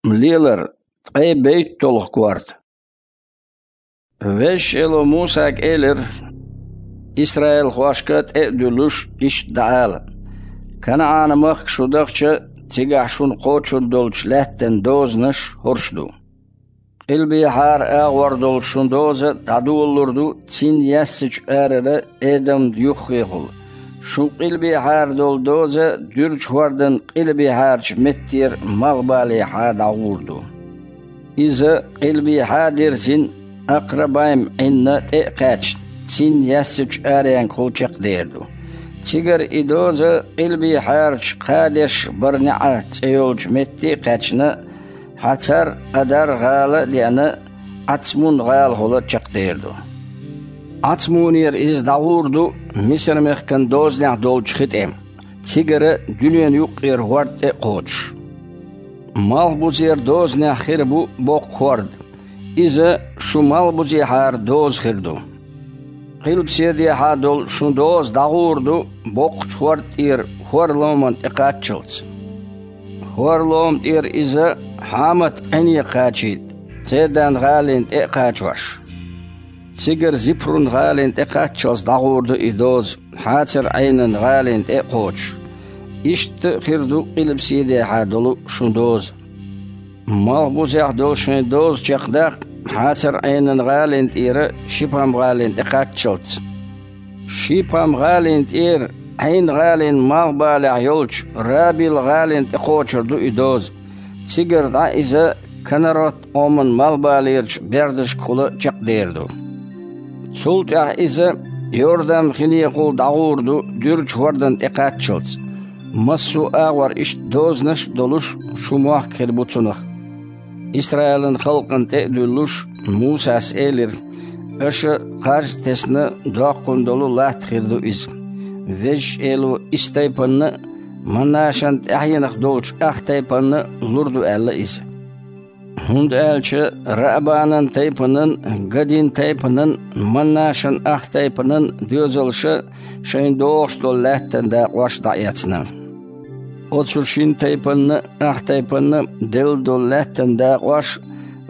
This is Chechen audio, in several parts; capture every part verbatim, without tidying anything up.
Лелар, ткъе бейттолгӀа корта. Везачу Эло Мусага элира, исраилхошка тӀе а дуьллуш, иштта дӀаала: «КанаӀан-махка шу дахча, цигахь шуна кхочун долчу лаьттан дозанаш хӀорш ду. Къилбехьара агӀор долу шун доза дӀадолалур ду цин яьссачу арара Эдамна юххехула. Шун къилбехьара долу доза дуьрачу хӀордан къилбехьарчу меттера малхбалехьа дӀагӀур ду. Иза къилбехьа дирзина Акърабайм Ӏинна тӀе а кхаьчна, цин яьссачу аренга хула чекхдер ду. Цигара и доза къилбехьарчу Кхадеш-БарнеӀа цӀе йолчу метте а кхаьчна, Хьацар-Адар-гӀала а деана, Ацмун-гӀалахула чекхдер ду. Ацмунера иза дӀагӀур ду Мисар-мехкан дозанехь долчу хи тӀе, цигара дуьненан юккъера хӀорд тӀе а кхочуш. Малхбузера дозанехь хир бу боккха хӀорд. Иза шун малхбузехьара доза хир ду. Къилбаседехьа долу шун доза дӀагӀур ду боккхачу хӀорда тӀера хӀора ломан тӀе кхаччалц. ХӀора лома тӀера иза Хьамат-Ӏине кхачийта, Цедан-гӀалина тӀе а кхачош. Цигара Зипрун-гӀалина тӀе кхаччалц дӀагӀур ду и доза, Хьацар-Ӏенан-гӀалина тӀе а кхочуш. Иштта а хир ду къилбаседехьа долу шун доза. Малхбузехь долу шайн доза чекхдаккха Хьацар-Ӏенан-гӀалина тӀера Шипам-гӀалина тӀе кхаччалц. Шипам-гӀалина тӀера Ӏайн-гӀалин малхбалехь йолчу Рабил-гӀалина тӀе кхочур ду и доза. Цигара дӀа иза Канарот-Ӏоман малхбалерчу бердашкахула чекхдер ду. Цул тӀаьхьа иза Йордан-хинехула дӀагӀур ду дуьрачу хӀордан тӀе кхаччалц. Массо а агӀор иштта дозанаш а долуш, шун мохк хир бу цунах». Исраилан халкъана тӀе а дуьллуш, Мусас элира: «Аша кхаж а тесна доккхун долу латта хир ду иза. Везачу Эло исс тайпанна а, Манашан тӀаьхьенах долчу ах тайпанна а лур ду аьлла иза. ХӀунда аьлча Раабанан тайпанан, Гадин тайпанан, Манашан ах тайпанан доьзалша шайн догӀуш долу лаьттан дакъош дӀаэцна. Оцу шина тайпанна а, ах тайпанна а делла долу лаьттан дакъош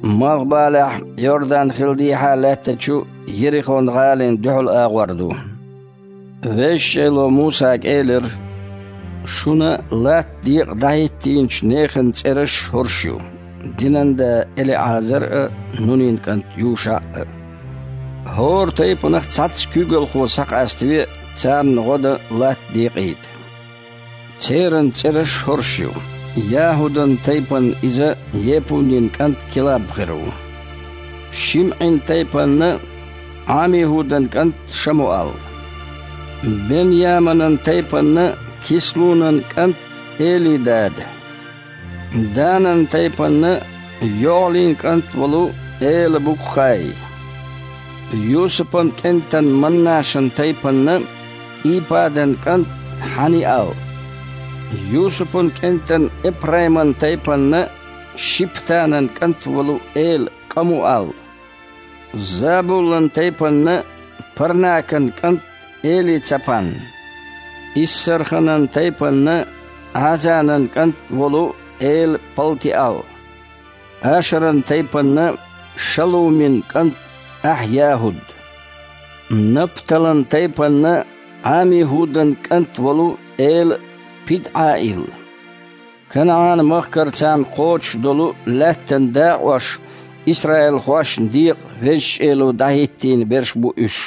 малхбалехь Йордан-хил дехьа лаьттачу Ерихон-гӀалина дуьхьал агӀор ду». Везачу Эло Мусага элира: «Шуна латта декъа дӀахӀиттийначу нехан цӀераш хӀорш ю: динан да ЭлиӀазар а, Нунин кӀант ЮшаӀ а. ХӀора тайпанах цхьацца куьйгалхо схьакъаставе, царна гӀо дан латта декъийта. Церан цӀераш хӀорш ю: ЯхӀудан тайпанна иза Епунин кӀант Килаб хир ву, ШимӀин тайпанна Ӏамихудан кӀант Шамуал, Бен-Яманан тайпанна Кислунан кӀант Элидада, Данан тайпанна ЙогӀлин кӀант волу Эла-Букхай, Юсупан кӀентан Маннашан тайпанна Ипадан кӀант Хьаниал, Юсупан кӀентан Эпрайман тайпанна Шиптанан кӀант волу Эла-Къамуал, Забулан тайпанна Парнакан кӀант Эли-Цапан, Иссарханан тайпанна Ӏазанан кӀант волу Эла-Палтиал, Ашаран тайпанна Шалумин кӀант Ахь-ЯхӀуд, Напталан тайпанна Ӏамихудан кӀант волу Эла-ПидӀаил. КанаӀан-махкара царна кхочуш долу лаьттан дакъош исраилхошна декъа Везачу Эло дӀахӀиттийна берш бу уьш».